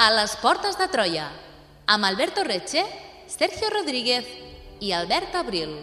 A les portes de Troia, amb Alberto Reche, Sergio Rodríguez i Albert Abril.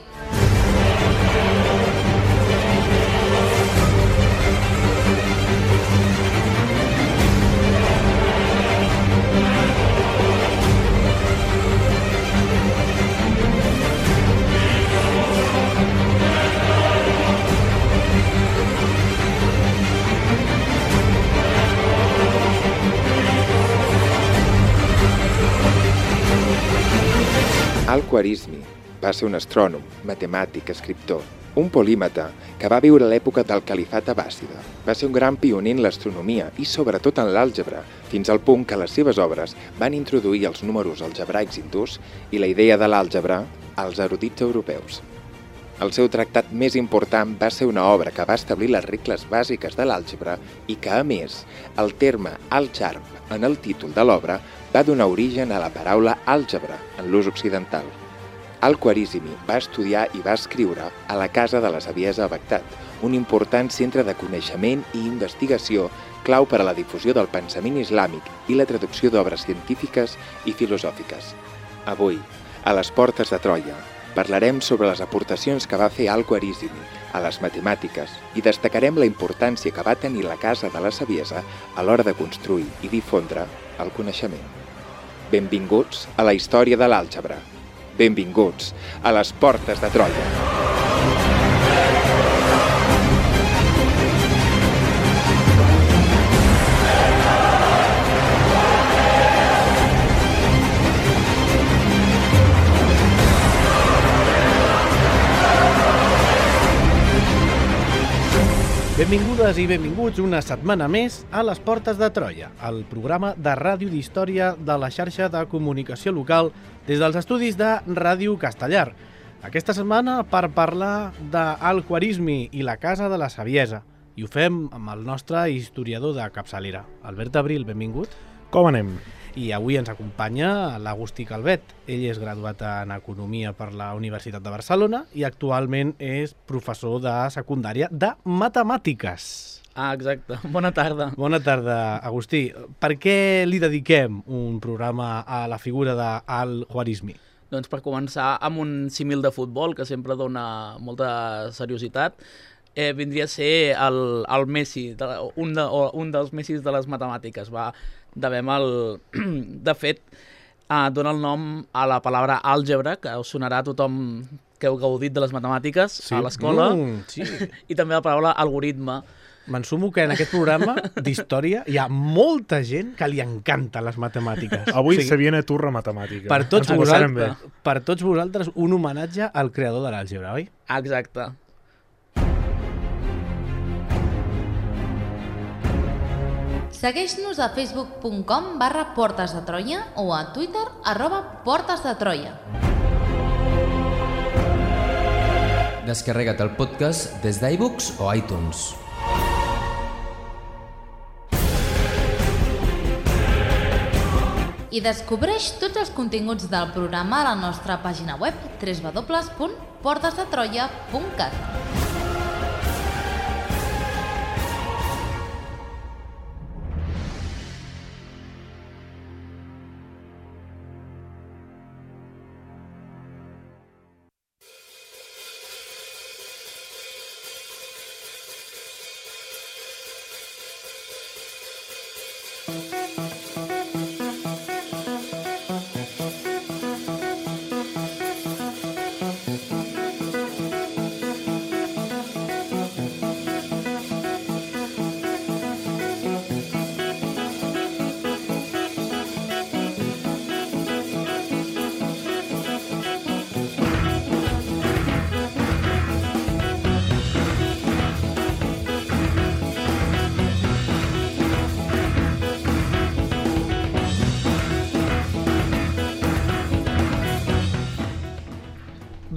Al-Khwarizmi va ser un astrònom, matemàtic, escriptor, un polímata que va viure a l'època del califat abbàssida. Va ser un gran pioner en l'astronomia i sobretot en l'àlgebra, fins al punt que les seves obres van introduir els números algebraics hindús i la idea de l'àlgebra als erudits europeus. El seu tractat més important va ser una obra que va establir les regles bàsiques de l'àlgebra i que, a més, el terme al-jarb en el títol de l'obra va donar origen a la paraula àlgebra en l'ús occidental. Al-Khwarizmi va estudiar i va escriure a la Casa de la Saviesa a Bagdad, un important centre de coneixement i investigació clau per a la difusió del pensament islàmic i la traducció d'obres científiques i filosòfiques. Avui, a les portes de Troia, parlarem sobre les aportacions que va fer Al-Khwarizmi a les matemàtiques i destacarem la importància que va tenir la Casa de la Saviesa a l'hora de construir i difondre el coneixement. Benvinguts a la història de l'àlgebra. Benvinguts a les portes de Troia. Benvingudes i benvinguts una setmana més a les Portes de Troia, el programa de ràdio d'història de la xarxa de comunicació local des dels estudis de Ràdio Castellar. Aquesta setmana per parlar d'Al-Khwarizmi i la Casa de la Saviesa. I ho fem amb el nostre historiador de capçalera. Albert Abril, benvingut. Com anem? I avui ens acompanya l'Agustí Calvet. Ell és graduat en Economia per la Universitat de Barcelona i actualment és professor de secundària de Matemàtiques. Exacte. Bona tarda. Bona tarda, Agustí. Per què li dediquem un programa a la figura d'Al-Khwarizmi? Doncs per començar amb un símil de futbol que sempre dona molta seriositat. Vindria a ser el Messi, un dels Messis de les matemàtiques. De fet, dona el nom a la paraula àlgebra, que us sonarà a tothom que heu gaudit de les matemàtiques a l'escola, sí. I també la paraula algoritme. M'ensumo que en aquest programa d'història hi ha molta gent que li encanta les matemàtiques. Avui se viene turra matemàtica. Per tots vosaltres, un homenatge al creador de l'àlgebra, oi? Exacte. Segueix-nos a facebook.com/portesdetroia o a Twitter @portesdetroia. Descarrega't el podcast des d'iBooks o iTunes. I descobreix tots els continguts del programa a la nostra pàgina web www.portesdetroia.cat.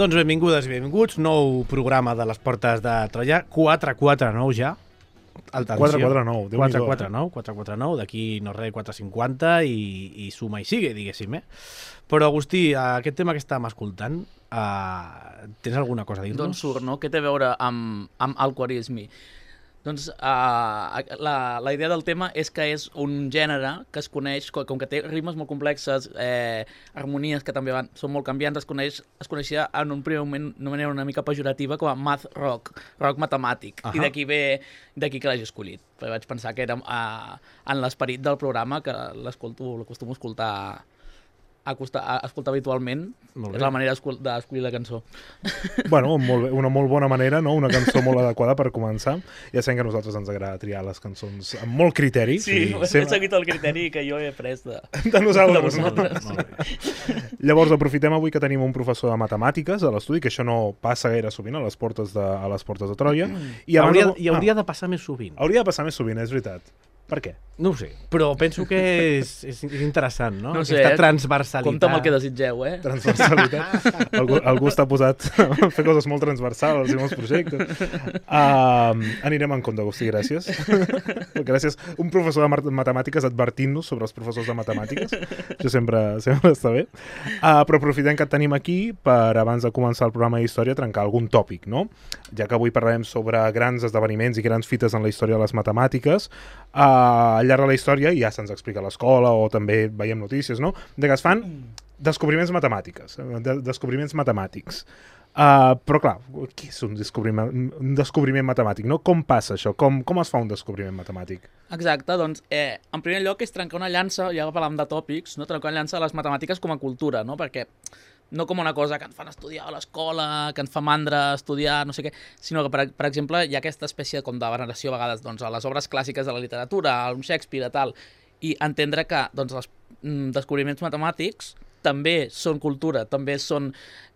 Doncs benvingudes i benvinguts, nou programa de les Portes de Troia, 449 ja. Alta 449, Déu-n'hi-do. 449, d'aquí no res, 450 i suma i sigue, diguéssim, Però, Agustí, aquest tema que estàvem escoltant, tens alguna cosa a dir-nos? D'on surt, no? Què té a veure amb el quarisme? Doncs la idea del tema és que és un gènere que es coneix, com que té ritmes molt complexes, harmonies que també són molt canviants, es coneixia en un primer moment d'una manera una mica pejorativa com a math rock, rock matemàtic, i d'aquí que l'hagi escollit. Perquè vaig pensar que era en l'esperit del programa, que l'acostumo a escoltar habitualment, és la manera d'escollir la cançó. Bueno, molt bé, una molt bona manera, no? Una cançó molt adequada per començar. Ja sabem que a nosaltres ens agrada triar les cançons amb molt criteri. Sí, he seguit el criteri que jo he après de nosaltres. Molt bé. Llavors, aprofitem avui que tenim un professor de matemàtiques a l'estudi, que això no passa gaire sovint a les portes de Troia. I hauria de passar més sovint. Hauria de passar més sovint, és veritat. Per què? No ho sé, però penso que és interessant, no? No sé, aquesta transversalitat. Compte amb el que desitgeu, Transversalitat. Algú està posat a fer coses molt transversals i molts projectes. Anirem en compte, Agustí, gràcies. Gràcies. Un professor de matemàtiques advertint-nos sobre els professors de matemàtiques. Això sempre està bé. Però aprofitem que et tenim aquí per, abans de començar el programa d'història, trencar algun tòpic, no? Ja que avui parlarem sobre grans esdeveniments i grans fites en la història de les matemàtiques, al llarg de la història, ja se'ns explica a l'escola o també veiem notícies, no? De que es fan descobriments matemàtics. Però clar, què és un descobriment matemàtic, no? Com passa això? Com es fa un descobriment matemàtic? Exacte, doncs, en primer lloc és trencar una llança, ja que parlàvem de tòpics, no? Trencar una llança de les matemàtiques com a cultura, no? Perquè no com una cosa que ens fan estudiar a l'escola, que ens fa mandra estudiar, no sé què, sinó que, per exemple, hi ha aquesta espècie com de veneració a vegades doncs, a les obres clàssiques de la literatura, a un Shakespeare, tal, i entendre que doncs, els descobriments matemàtics també són cultura, també són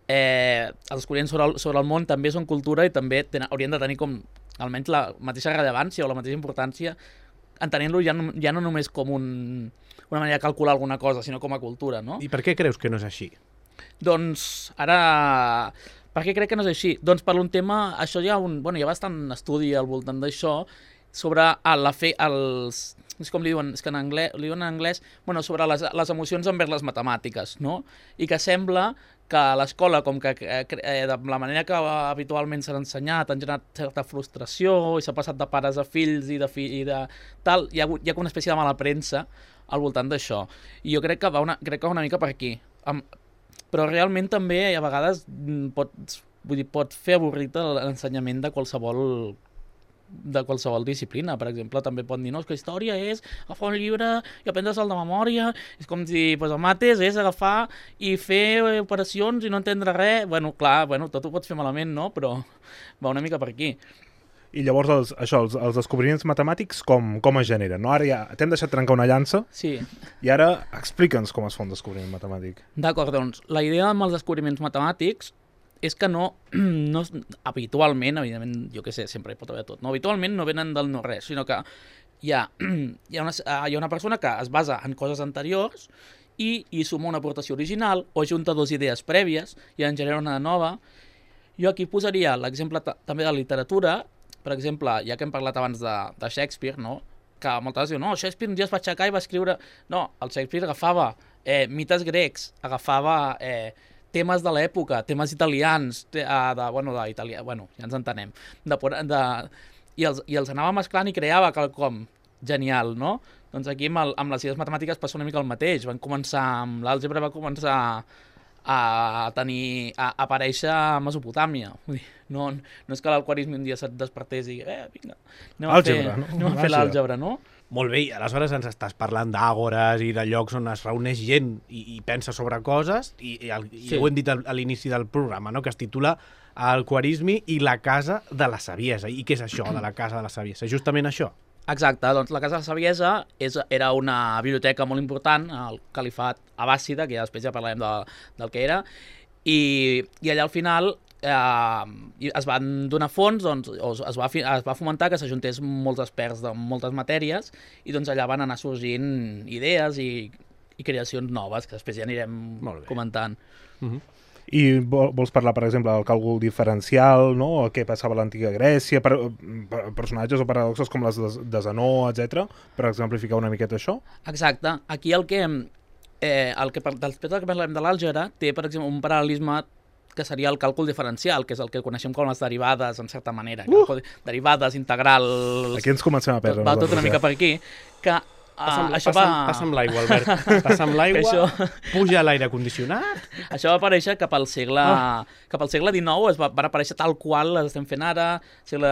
els descobriments sobre el món també són cultura i també haurien de tenir com almenys la mateixa rellevància o la mateixa importància, entenent-lo ja no només com una manera de calcular alguna cosa, sinó com a cultura, no? I per què creus que no és així? Doncs ara, per què crec que no és així? Doncs per un tema, això hi ha bastant estudi al voltant d'això, sobre és com li diuen, és que en anglès, sobre les emocions envers les matemàtiques, no? I que sembla que a l'escola, com que de la manera que habitualment s'ha ensenyat, han generat certa frustració i s'ha passat de pares a fills i de tal, hi ha una espècie de mala premsa al voltant d'això. I jo crec que va una mica per aquí. Però realment també a vegades pot fer avorrit l'ensenyament de qualsevol disciplina. Per exemple, també pot dir que història és agafar un llibre i aprendre-se'l de memòria, és com si el mates és agafar i fer operacions i no entendre res. Clar, tot ho pots fer malament, no? Però va una mica per aquí. I llavors els descobriments matemàtics com es generen, no? Ara ja t'hem deixat trencar una llança, sí. I ara explica'ns com es fa un descobriment matemàtic. D'acord, doncs, la idea amb els descobriments matemàtics és que no habitualment, evidentment, jo què sé, sempre hi pot haver tot, no? Habitualment no venen del no-res, sinó que hi ha una persona que es basa en coses anteriors i suma una aportació original o junta dues idees prèvies i en genera una nova. Jo aquí posaria l'exemple també de la literatura. Per exemple, ja que hem parlat abans de Shakespeare, no? Que moltes vegades diuen, Shakespeare un dia es va aixecar i va escriure... No, el Shakespeare agafava mites grecs, agafava temes de l'època, temes italians, d'italià, ja ens entenem, i els anava mesclant i creava quelcom genial, no? Doncs aquí amb les idees matemàtiques passa una mica el mateix. Van començar amb l'àlgebra, va començar a aparèixer a Mesopotàmia. Vull dir, no és que l'alquarisme un dia se't despertés i vinga, anem a fer l'àlgebra, no? Molt bé, i aleshores ens estàs parlant d'àgores i de llocs on es reuneix gent i pensa sobre coses i ho hem dit a l'inici del programa, no? Que es titula Alquarisme i la casa de la saviesa. I què és això de la casa de la saviesa? Justament això? Exacte, doncs la Casa de la Saviesa era una biblioteca molt important al califat abbàssida, que ja després ja parlarem del que era, i allà al final es van donar fons, doncs, es va fomentar que s'ajuntés molts experts de moltes matèries i doncs allà van anar sorgint idees i creacions noves, que després ja anirem comentant. I vols parlar, per exemple, del càlcul diferencial, no? O què passava a l'antiga Grècia, personatges o paradoxes com les de Zenó, etc, per exemplificar una miqueta això? Exacte. Aquí després que parlem de l'àlgebra, té, per exemple, un paral·lelisme que seria el càlcul diferencial, que és el que coneixem com les derivades, en certa manera. Derivades, integrals... Aquí ens comencem a perdre. Va tot una mica per aquí. Que Passa amb l'aigua, Albert. Passa amb l'aigua, puja l'aire condicionat... Això va aparèixer cap al segle XIX, van aparèixer tal qual les estem fent ara, segle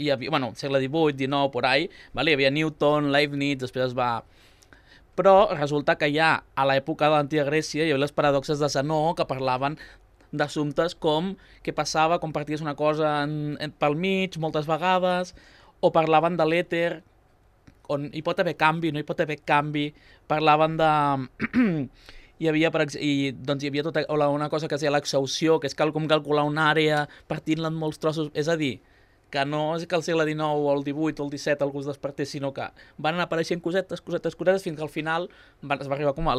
XVIII, XIX, por ahí, vale? Hi havia Newton, Leibniz, després es va... Però resulta que ja a l'època de l'antiga Grècia hi havia les paradoxes de Zenó que parlaven d'assumptes com què passava quan parties una cosa pel mig moltes vegades, o parlaven de l'èter, on hi pot haver canvi, no hi pot haver canvi, parlaven de... hi havia tota una cosa que es deia l'exhausció, que és com calcular una àrea partint-la en molts trossos, és a dir, que no és que al segle XIX o el XVIII o el XVII algú es despertés, sinó que van anar apareixent cosetes, fins que al final es va arribar com a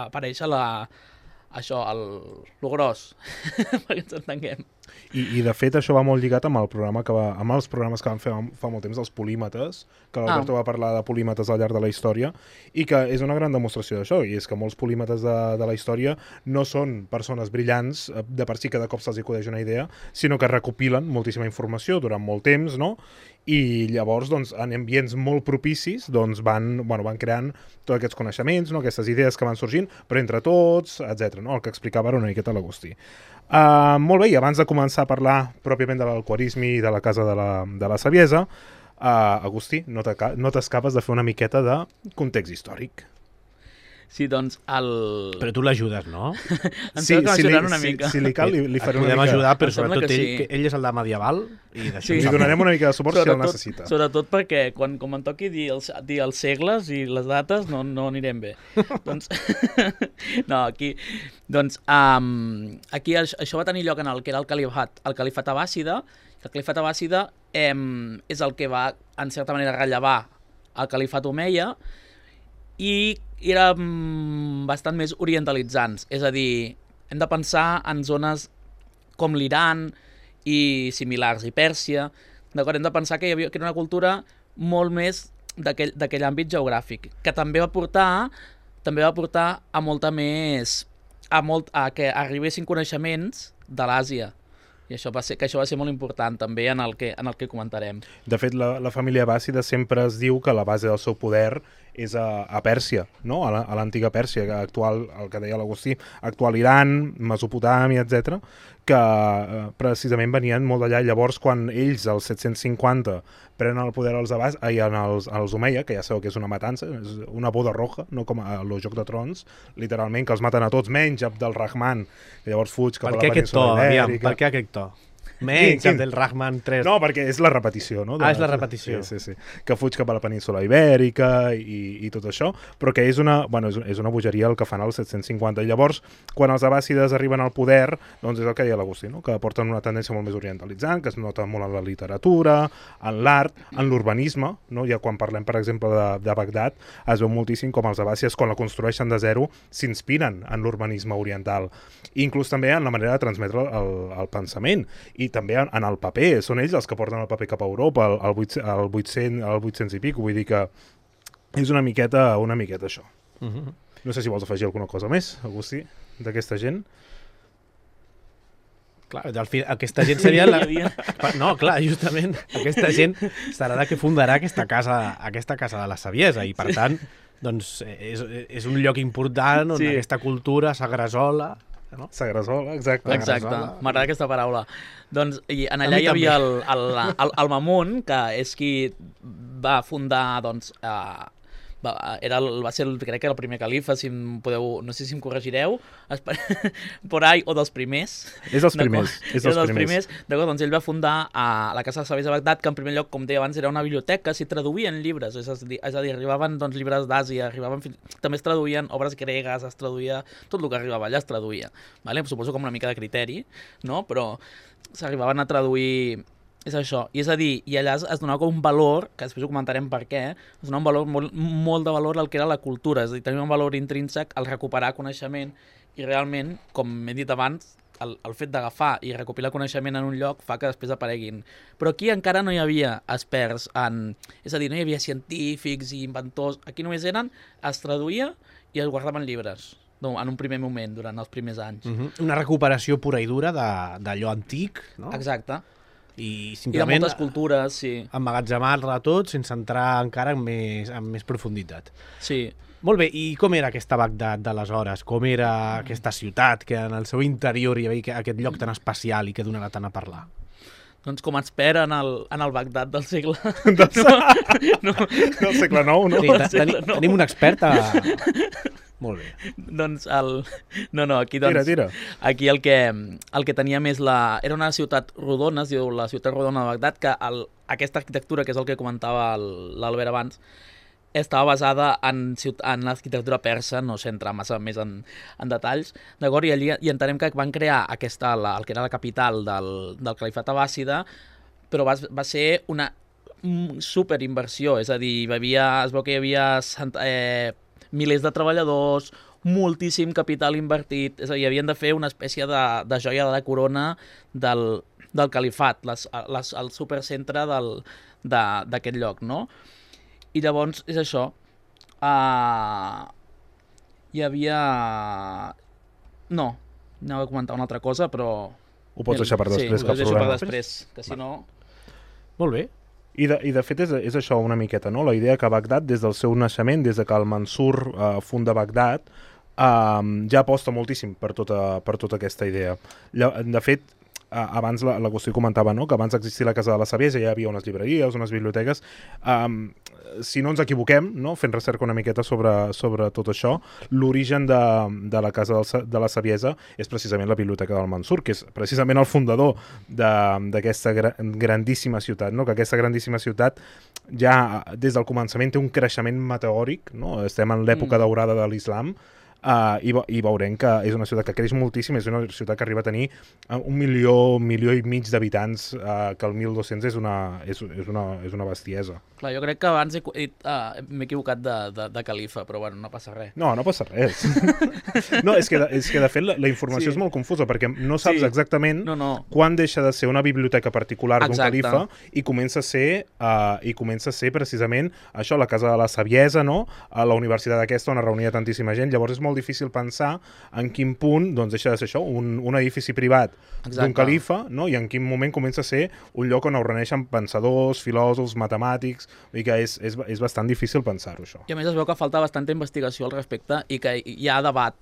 aparèixer lo gros, perquè ens entenguem. I de fet això va molt lligat amb amb els programes que van fer fa molt temps, els polímetes, que l'Alberto va parlar de polímetes al llarg de la història, i que és una gran demostració d'això, i és que molts polímetes de la història no són persones brillants, de per si cada cop se'ls acudeix una idea, sinó que recopilen moltíssima informació durant molt temps, no? I llavors, doncs, en ambients molt propicis, doncs, van creant tots aquests coneixements, no? Aquestes idees que van sorgint, però entre tots, etc. No? El que explicava era una miqueta l'Agustí. Molt bé, i abans de començar a parlar pròpiament de l'alquarisme i de la Casa de la Saviesa, Agustí, no t'escapes de fer una miqueta de context històric. Sí, doncs Però tu l'ajudes, no? Em sembla que m'ajudaran una mica. Si li cal, li faré una mica... Podem ajudar, però Em sembla sobretot que sí. que ell és el de medieval i d'això Li donarem una mica de suport si el necessita. Sobretot perquè quan em toqui dir els segles i les dates no anirem bé. Doncs, no, aquí això va tenir lloc en el que era el califat abbàssida. El califat abbàssida és el que va, en certa manera, rellevar el califat omeia, i eren bastant més orientalitzants. És a dir, hem de pensar en zones com l'Iran i similars, i Pèrsia. D'acord? Hem de pensar que era una cultura molt més d'aquell àmbit geogràfic, que també va portar a molta més... a que arribessin coneixements de l'Àsia. I això va ser molt important també en el que comentarem. De fet, la família abbàssida sempre es diu que la base del seu poder és a Pèrsia, no? A l'antiga Pèrsia, actual, el que deia l'Agustí, actual Iran, Mesopotàmia, etc, que precisament venien molt d'allà. Llavors, quan ells, als 750, prenen el poder als Omeia, que ja sabeu que és una matança, és una boda roja, no com a el Joc de Trons, literalment, que els maten a tots, menys Abd al-Rahman, que llavors fuig cap a la península Ibèrica. Per què aquest to? Menys Abd al-Rahman 3. No, perquè és la repetició, no? És la repetició. Sí. Que fuig cap a la península Ibèrica i tot això, però que és una bogeria el que fan als 750. I llavors, quan els abbàssides arriben al poder, doncs és el que deia l'Agustí, no? Que porten una tendència molt més orientalitzant, que es nota molt en la literatura, en l'art, en l'urbanisme, no? Ja quan parlem, per exemple, de Bagdad, es veu moltíssim com els abbàssides, quan la construeixen de zero, s'inspiren en l'urbanisme oriental. I inclús també en la manera de transmetre el pensament. I també en el paper, són ells els que porten el paper cap a Europa, al 800 i pico, vull dir que és una miqueta això. No sé si vols afegir alguna cosa més, Agustí, d'aquesta gent. Clar, aquesta gent seria No, clar, justament, aquesta gent serà la que fundarà aquesta casa de la Saviesa, i per tant, doncs, és un lloc important on aquesta cultura s'agresola. No? S'agresola, exacte. Exacte, m'agrada aquesta paraula. Doncs allà hi havia el Mamun, que és qui va fundar, doncs, crec que el primer califa, si em podeu, no sé si em corregireu, por ahí, o dels primers. És dels primers. D'acord, doncs ell va fundar la Casa de Saviesa de Bagdad, que en primer lloc, com deia abans, era una biblioteca, s'hi traduïen llibres, és a dir, arribaven doncs, llibres d'Àsia, també es traduïen obres gregues, es traduïa, tot el que arribava allà es traduïa. Vale? Suposo com una mica de criteri, no? Però s'arribaven a traduir... És això, i és a dir, i allà es donava com un valor, que després ho comentarem per què, es donava un valor, molt de valor al que era la cultura, és a dir, tenia un valor intrínsec al recuperar coneixement i realment, com he dit abans, el fet d'agafar i recopilar coneixement en un lloc fa que després apareguin. Però aquí encara no hi havia experts en... És a dir, no hi havia científics i inventors. Aquí només es traduïa i es guardaven llibres, en un primer moment, durant els primers anys. Una recuperació pura i dura d'allò antic, no? Exacte. I de moltes cultures, sí. Emmagatzemar-la tot sense entrar encara en més profunditat. Sí. Molt bé, i com era aquesta Bagdad d'aleshores? Com era aquesta ciutat que en el seu interior hi havia aquest lloc tan especial i que donarà tant a parlar? Doncs com ens espera en el Bagdad del segle... Del segle IX, no? Sí, tenim un expert a... Molt bé. Doncs aquí aquí el que tenia més era una ciutat rodona, es diu la ciutat rodona de Bagdad, que aquesta arquitectura, que és el que comentava l'Albert abans, estava basada en l'arquitectura persa, no sé entrar massa més en detalls, d'acord? I allí entenem que van crear el que era la capital del califat abbàssida, però va ser una superinversió, és a dir, es veu que hi havia milers de treballadors, moltíssim capital invertit, és a dir, havien de fer una espècie de joia de la corona del califat, el supercentre d'aquest lloc, no? I llavors, és això, hi havia... No, anava a comentar una altra cosa, però... Ho pots deixar per després, cap problema. Sí, ho deixo per després, que si no... Molt bé. I de fet és això una miqueta, no? La idea que Bagdad, des del seu naixement, des de que el Mansur funda Bagdad, ja aposta moltíssim per tota aquesta idea. De fet, abans l'Agustí comentava, no?, que abans d'existir la Casa de la Saviesa ja hi havia unes llibreries, unes biblioteques. Si no ens equivoquem, no?, fent recerca una miqueta sobre tot això, l'origen de la Casa de la Saviesa és precisament la Biblioteca del Mansur, que és precisament el fundador d'aquesta grandíssima ciutat, no?, que aquesta grandíssima ciutat ja des del començament té un creixement meteòric, no?, estem en l'època daurada de l'islam, i veurem que és una ciutat que creix moltíssim, és una ciutat que arriba a tenir 1 milió i mig d'habitants, que el 1200 és una bestiesa. Clar, jo crec que abans m'he equivocat de califa, però bueno, no passa res. No passa res. No, és que de fet la informació és molt confusa, perquè no saps exactament quan deixa de ser una biblioteca particular d'un califa i comença a ser precisament això, la Casa de la Saviesa, no?, a la universitat aquesta on es reunia tantíssima gent. Llavors és molt difícil pensar en quin punt deixa de ser això, un edifici privat d'un califa, no?, i en quin moment comença a ser un lloc on es reuneixen pensadors, filòsofs, matemàtics, i que és bastant difícil pensar-ho, això. I a més es veu que falta bastanta investigació al respecte i que hi ha debat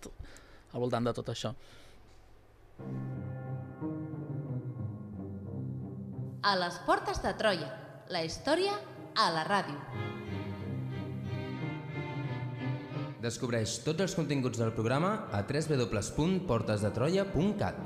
al voltant de tot això. A les portes de Troia, la història a la ràdio. Descobreix tots els continguts del programa a www.portesdetroia.cat.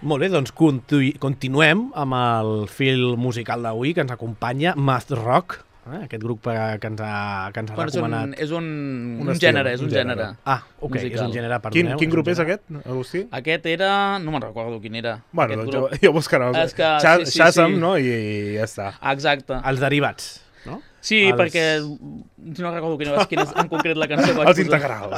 Molt bé, doncs continuem amb el fil musical d'avui que ens acompanya, Math Rock, aquest grup que ens ha recomanat. És un gènere. Ah, ok, musical. És un gènere, perdoneu. Quin grup és aquest, Agustí? Aquest era... no me'n recordo quin era. Bueno, doncs jo buscaré Shazam, no? I ja està. Exacte. Els derivats, no? Sí, perquè no recordo quina és en concret la cançó. Els integrals.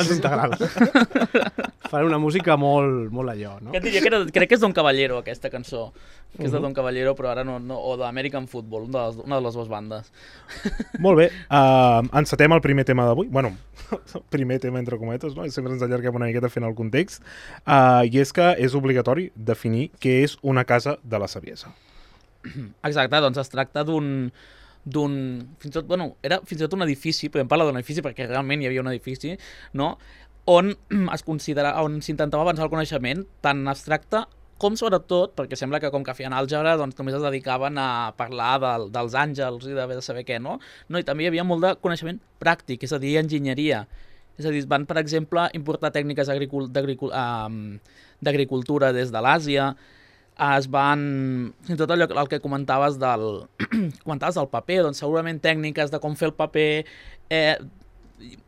Farà una música molt allò, no? Que et diria crec que és Don Caballero, aquesta cançó. Que és de Don Caballero, però ara no o d'American Football, una de les dues bandes. Molt bé, encetem el primer tema d'avui. Bueno, primer tema entre cometes, no? Sempre ens allarguem una miqueta fent el context. I és que és obligatori definir què és una casa de la saviesa. Exacte, doncs es tracta era fins i tot un edifici, podem parlar d'un edifici perquè realment hi havia un edifici, no? on s'intentava avançar el coneixement tan abstracte com sobretot, perquè sembla que com que feien àlgebra doncs només es dedicaven a parlar dels àngels i de saber què, no? I també hi havia molt de coneixement pràctic, és a dir, enginyeria. És a dir, van, per exemple, importar tècniques d'agricultura des de l'Àsia, es van, fins i tot allò el que comentaves del paper, doncs segurament tècniques de com fer el paper,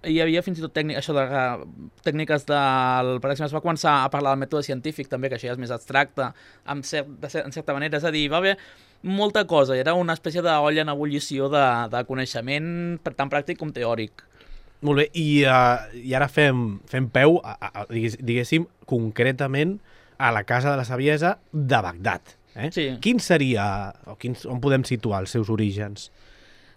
hi havia fins i tot tècniques del... Per exemple, es va començar a parlar del mètode científic també, que això ja és més abstracte, en certa manera, és a dir, va haver molta cosa, era una espècie d'olla en ebullició de coneixement tant pràctic com teòric. Molt bé, i ara fem peu, diguéssim, concretament a la Casa de la Saviesa de Bagdad. Sí. Quin seria, on podem situar els seus orígens?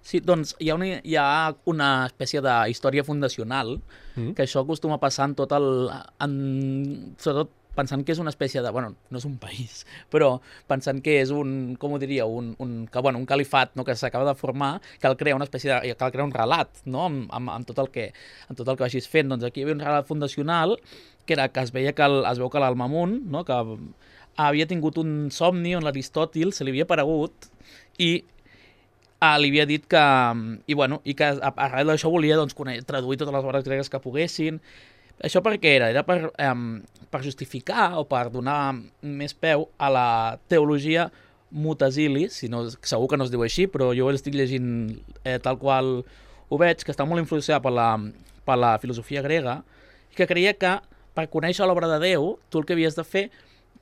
Sí, doncs hi ha una espècie de història fundacional, que això acostuma a passar en tot sobretot pensant que és una espècie de... Bueno, no és un país, però pensant que és un califat, no, que s'acaba de formar, cal crear una espècie de... cal crear un relat, no, amb tot el que vagis fent. Doncs aquí hi havia un relat fundacional que era que es veu que l'Al-Mamun, no, que havia tingut un somni on l'Aristòtil se li havia aparegut i li havia dit que... I que arrel d'això volia doncs, traduir totes les obres gregues que poguessin. Això per què era? Era per justificar o per donar més peu a la teologia Mutasili, segur que no es diu així, però jo l'estic llegint tal qual ho veig, que està molt influenciada per la filosofia grega, i que creia que per conèixer l'obra de Déu, tu el que havies de fer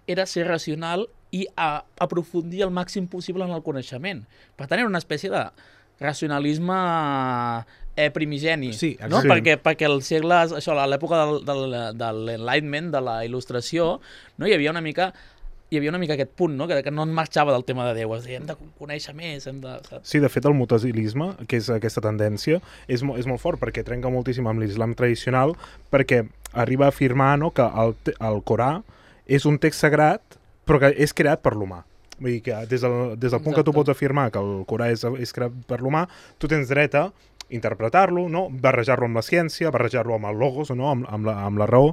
era ser racional i aprofundir el màxim possible en el coneixement. Per tant, era una espècie de racionalisme primigeni, sí, no? Perquè els segles, això, a l'època de l'Enlightenment, de la Il·lustració, no? hi havia una mica aquest punt, no? Que no en marxava del tema de Déu, és a dir, hem de conèixer més, Sí, de fet el mutasilisme, que és aquesta tendència, és molt fort, perquè trenca moltíssim amb l'islam tradicional, perquè arriba a afirmar, no, que el Corà és un text sagrat, però que és creat per l'humà. Vull dir que des del punt que tu pots afirmar que el Corà és creat per l'humà, tu tens dret a interpretar-lo, no? Barrejar-lo amb la ciència, barrejar-lo amb el logos, no? amb la raó.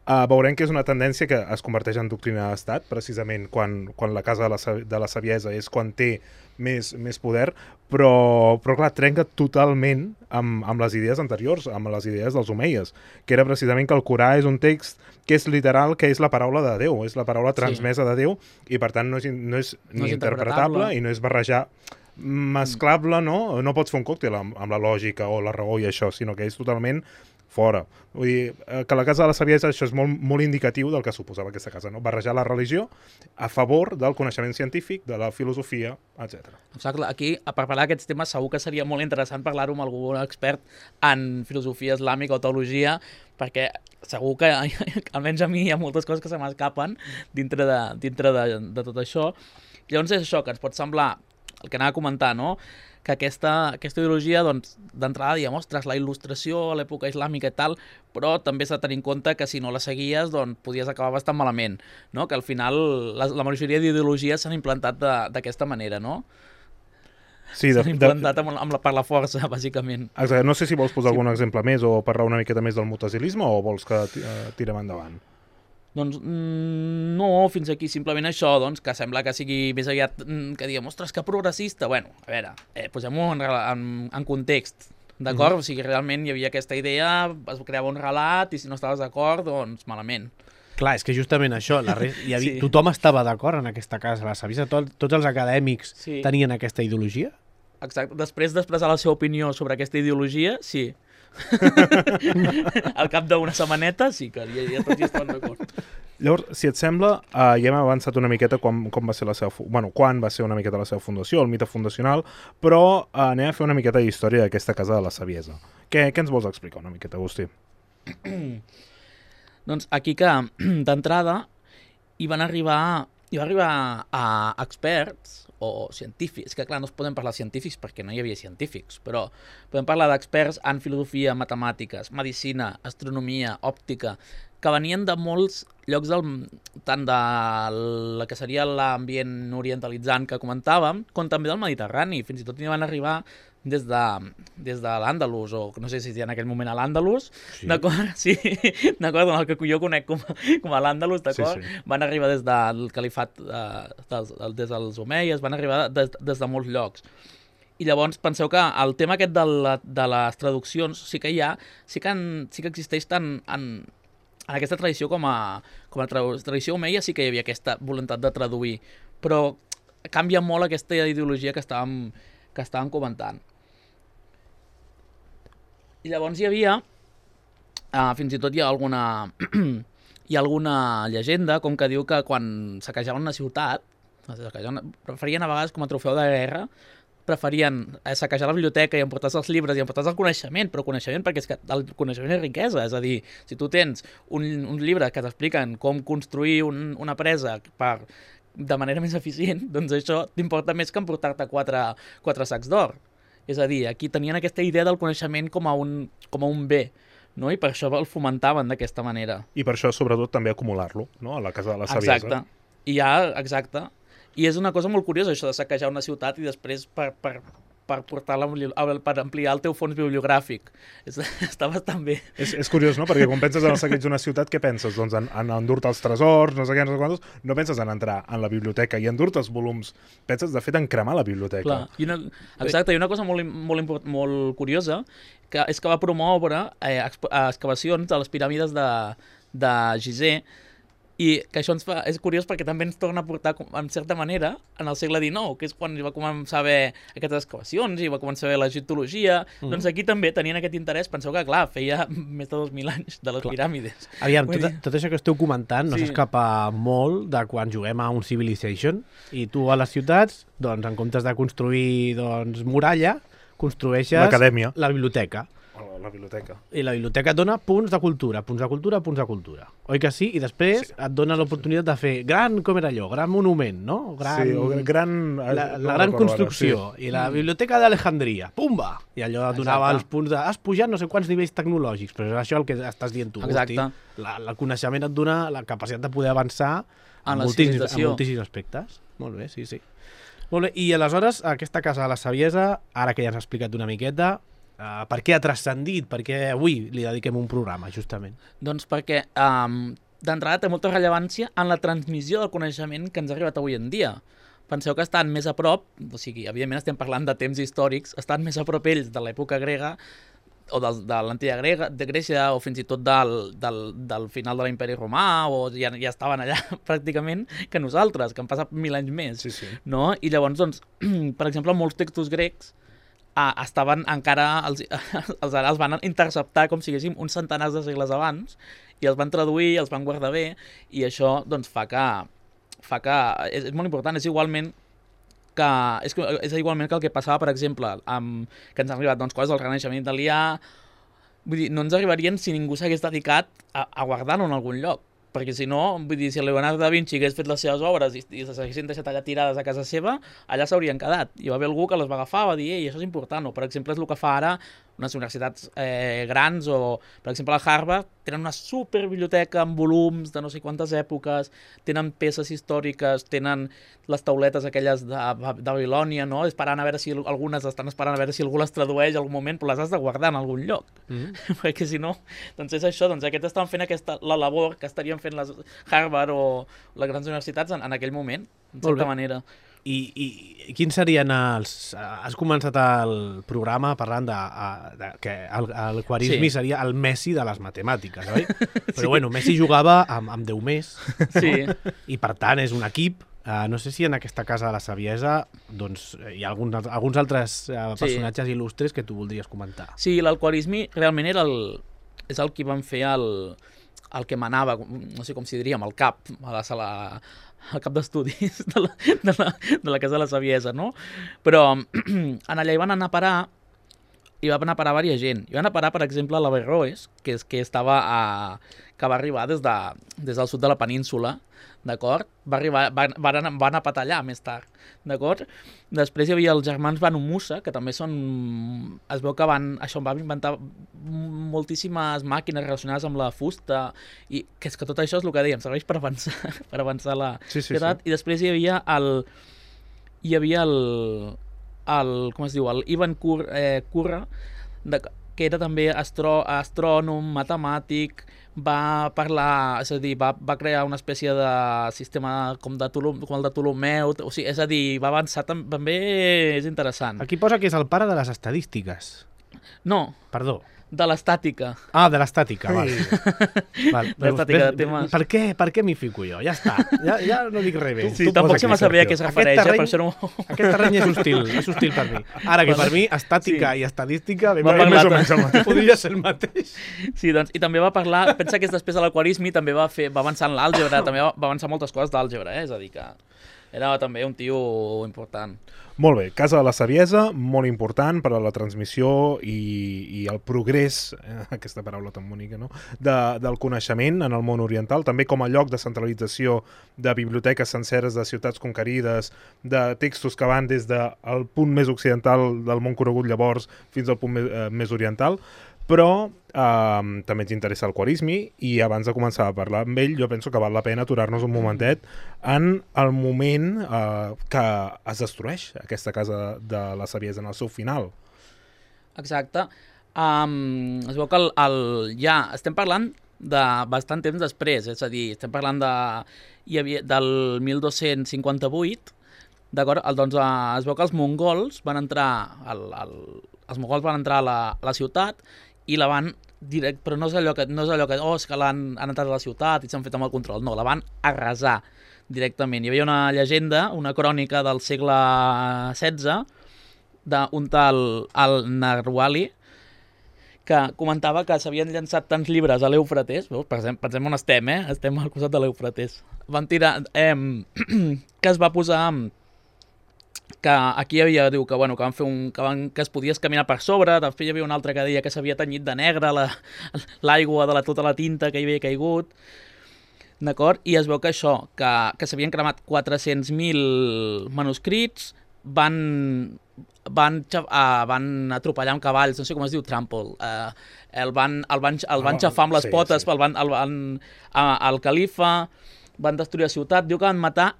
Veurem que és una tendència que es converteix en doctrina d'estat, precisament quan la Casa de la Saviesa és quan té més poder, però clar, trenca totalment amb les idees anteriors, amb les idees dels omeies, que era precisament que el Corà és un text que és literal, que és la paraula de Déu, és la paraula transmesa de Déu, i per tant no és ni interpretable i no és barrejar, mesclable, no? No pots fer un còctel amb la lògica o la raó i això, sinó que és totalment fora. Vull dir, que la Casa de la Saviesa, això és molt indicatiu del que suposava aquesta casa, no? Barrejar la religió a favor del coneixement científic, de la filosofia, etc. Exacte. Aquí, per parlar d'aquests temes, segur que seria molt interessant parlar-ho amb algun expert en filosofia islàmica o teologia, perquè segur que, almenys a mi, hi ha moltes coses que se m'escapen dintre de tot això. Llavors és això, que ens pot semblar, el que anava a comentar, no?, que aquesta ideologia, doncs, d'entrada, diguem, ostres, la il·lustració a l'època islàmica i tal, però també s'ha de tenir en compte que si no la seguies, doncs, podies acabar bastant malament, no? Que al final la majoria d'ideologies s'han implantat d'aquesta manera, no? Sí, s'han implantat per la força, bàsicament. Exacte. No sé si vols posar algun exemple més o parlar una miqueta més del mutasilisme o vols que tirem endavant? Doncs no, fins aquí simplement això, doncs, que sembla que sigui més aviat que diguem, ostres, que progressista. Bueno, a veure, posem-ho en context, d'acord? O sigui, realment hi havia aquesta idea, es creava un relat i si no estaves d'acord, doncs malament. Clar, és que justament això, tothom estava d'acord en aquesta casa, la Saviesa, tots els acadèmics tenien aquesta ideologia? Exacte, després d'expressar la seva opinió sobre aquesta ideologia, sí. Al cap d'una setmaneta sí que ja tots hi estaven d'acord. Llavors, si et sembla, ja hem avançat una miqueta quan va ser quan va ser una miqueta la seva fundació, el mite fundacional, però anem a fer una miqueta d'història d'aquesta Casa de la Saviesa. Què ens vols explicar una miqueta, Agustí? Doncs aquí que, d'entrada, hi va arribar a experts o científics, que clar, no es poden parlar de científics perquè no hi havia científics, però podem parlar d'experts en filosofia, matemàtiques, medicina, astronomia, òptica, que venien de molts llocs, tant de la que seria l'ambient orientalitzant que comentàvem, com també del Mediterrani. Fins i tot hi van arribar des de l'Àndalus, o no sé si en aquell moment a l'Àndalus, sí. D'acord? Sí, d'acord, el que jo conec com a l'Àndalus, d'acord? Sí, sí. Van arribar des del califat, des dels omeies, van arribar des de molts llocs. I llavors penseu que el tema aquest de les traduccions sí que existeix tant en aquesta tradició com a tradició omeia, sí que hi havia aquesta voluntat de traduir, però canvia molt aquesta ideologia que estàvem comentant. I llavors hi havia, fins i tot hi ha alguna llegenda, com que diu que quan saquejaven una ciutat, preferien a vegades com a trofeu de guerra, preferien saquejar la biblioteca i emportar-se els llibres i emportar-se el coneixement, però coneixement perquè és que el coneixement és riquesa, és a dir, si tu tens uns llibres que t'expliquen com construir una presa de manera més eficient, doncs això t'importa més que emportar-te quatre sacs d'or. És a dir, aquí tenien aquesta idea del coneixement com a un bé, no? I per això el fomentaven d'aquesta manera. I per això, sobretot, també acumular-lo, no? A la casa de la saviesa. Exacte. I és una cosa molt curiosa, això de saquejar una ciutat i després per ampliar el teu fons bibliogràfic. Està bastant bé. És curiós, no? Perquè quan penses en el saqueig d'una ciutat, què penses? Doncs en endur-te els tresors, no sé què, no sé quantos. No penses en entrar en la biblioteca i endur-te els volums. Penses, de fet, en cremar la biblioteca. Clar. Exacte, i una cosa molt curiosa és que va promoure excavacions de les piràmides de Gizeh, i que això és curiós perquè també ens torna a portar, en certa manera, en el segle XIX, que és quan va començar a haver aquestes excavacions i va començar a haver l'egiptologia. Doncs aquí també tenien aquest interès. Penseu que, clar, feia més de 2.000 anys de les piràmides. Aviam, tot això que esteu comentant no s'escapa molt de quan juguem a un Civilization i tu a les ciutats, doncs, en comptes de construir muralla, construeixes l'acadèmia, la biblioteca. La biblioteca. I la biblioteca et dona punts de cultura. Oi que sí? I després et dona l'oportunitat de fer com era allò, gran monument, no? La gran construcció. Sí. I la biblioteca d'Alejandria, pumba! I allò et donava els punts de... Has pujat no sé quants nivells tecnològics, però és això el que estàs dient tu. Exacte. El coneixement et dona la capacitat de poder avançar en moltíssims aspectes. Molt bé, sí. Molt bé, i aleshores aquesta casa de la saviesa, ara que ja has explicat una miqueta, per què ha transcendit? Per què avui li dediquem un programa, justament? Doncs perquè d'entrada té molta rellevància en la transmissió del coneixement que ens ha arribat avui en dia. Penseu que estan més a prop, o sigui, evidentment estem parlant de temps històrics, estan més a prop ells de l'època grega o de l'antiga Grècia o fins i tot del final de l'imperi romà, o ja estaven allà pràcticament que nosaltres, que han passat 1.000 anys més. Sí. No? I llavors, doncs, per exemple, molts textos grecs estaven encara, els van interceptar com si haguéssim uns centenars de segles abans i els van traduir, els van guardar bé, i això doncs fa que és molt important. És igualment que el que passava, per exemple, que ens han arribat coses del Renaixement italià. Vull dir, no ens arribarien si ningú s'hagués dedicat a guardar-ho en algun lloc. Perquè si no, vull dir, si el Leonardo da Vinci hagués fet les seves obres i s'haguessin deixat allà tirades a casa seva, allà s'haurien quedat. I va haver algú que les va agafar, va dir, ei, això és important. O, per exemple, és el que fa ara unes universitats grans, o, per exemple, a Harvard, tenen una superbiblioteca amb volums de no sé quantes èpoques, tenen peces històriques, tenen les tauletes aquelles de Babilònia, no? Algunes estan esperant a veure si algú les tradueix en algun moment, però les has de guardar en algun lloc. Perquè si no, doncs és això, doncs aquests estan fent la labor que estarien fent les Harvard o les grans universitats en aquell moment, en certa manera. I quins serien has començat el programa parlant que l'Quarismi seria el Messi de les matemàtiques, oi? Però bueno, Messi jugava amb 10 més, i per tant és un equip. No sé si en aquesta casa de la saviesa doncs, hi ha alguns altres personatges il·lustres que tu voldries comentar. Sí, l'Quarismi realment és el que van fer el que manava, no sé com si diríem, el cap a la sala, el cap d'estudis de la Casa de la Saviesa, no? Però en allà hi van anar a parar hi va anar a parar diversa gent. Hi va anar a parar, per exemple, l'Averroes, que va arribar des del sud de la península, d'acord? Va anar a patar allà més tard, d'acord? Després hi havia els germans Banu Musa, que també són... Es veu que van inventar moltíssimes màquines relacionades amb la fusta, i que és que tot això és el que dèiem, serveix per avançar la societat. I després hi havia com es diu, el Ivan Curra, que era també astrònom, matemàtic, va parlar, és a dir, va crear una espècie de sistema com el de Ptolemeu, o sigui, és a dir, va avançar també, és interessant. Aquí posa que és el pare de les estadístiques. No. Perdó. De l'estàtica. Ah, de l'estàtica, val. L'estàtica de temes. Per què m'hi fico jo? Ja està, ja no dic res bé. Sí, tampoc se m'ha sabia a què es refereix, per això no... Aquest terreny és hostil per mi. Ara que per mi, estàtica i estadística més o menys el mateix. Podria ser el mateix. Sí, doncs, i també va parlar, pensa que és després de l'aquarisme, també va avançar en l'àlgebra, també va avançar moltes coses d'àlgebra, és a dir que era també un tio important. Molt bé, Casa de la Saviesa, molt important per a la transmissió i el progrés, aquesta paraula tan bonica, no? del coneixement en el món oriental, també com a lloc de centralització de biblioteques senceres de ciutats conquerides, de textos que van des del punt més occidental del món conegut llavors fins al punt més oriental, però també ens interessa el Quarismi i abans de començar a parlar amb ell jo penso que val la pena aturar-nos un momentet en el moment que es destrueix aquesta Casa de la Saviesa en el seu final. Exacte. Es veu que ja estem parlant de bastant temps després, és a dir, estem parlant del 1258, d'acord? Doncs es veu que els mongols van entrar a la ciutat i la van però no és allò que és que l'han entrat a la ciutat i s'han fet amb el control, no, la van arrasar directament. Hi havia una llegenda, una crònica del segle XVI d'un tal al-Narwali que comentava que s'havien llançat tants llibres a l'Eufrates, pensem on estem, estem al costat de l'Eufrates, van tirar, que es va posar... que aquí hi havia, diu, que van fer que es podies caminar per sobre, després hi havia un altre que deia que s'havia tenyit de negre l'aigua de tota la tinta que hi havia caigut, d'acord? I es veu que això, que s'havien cremat 400.000 manuscrits, van atropellar amb cavalls, no sé com es diu, trample, el van xafar amb les potes, el califa, van destruir la ciutat, diu que van matar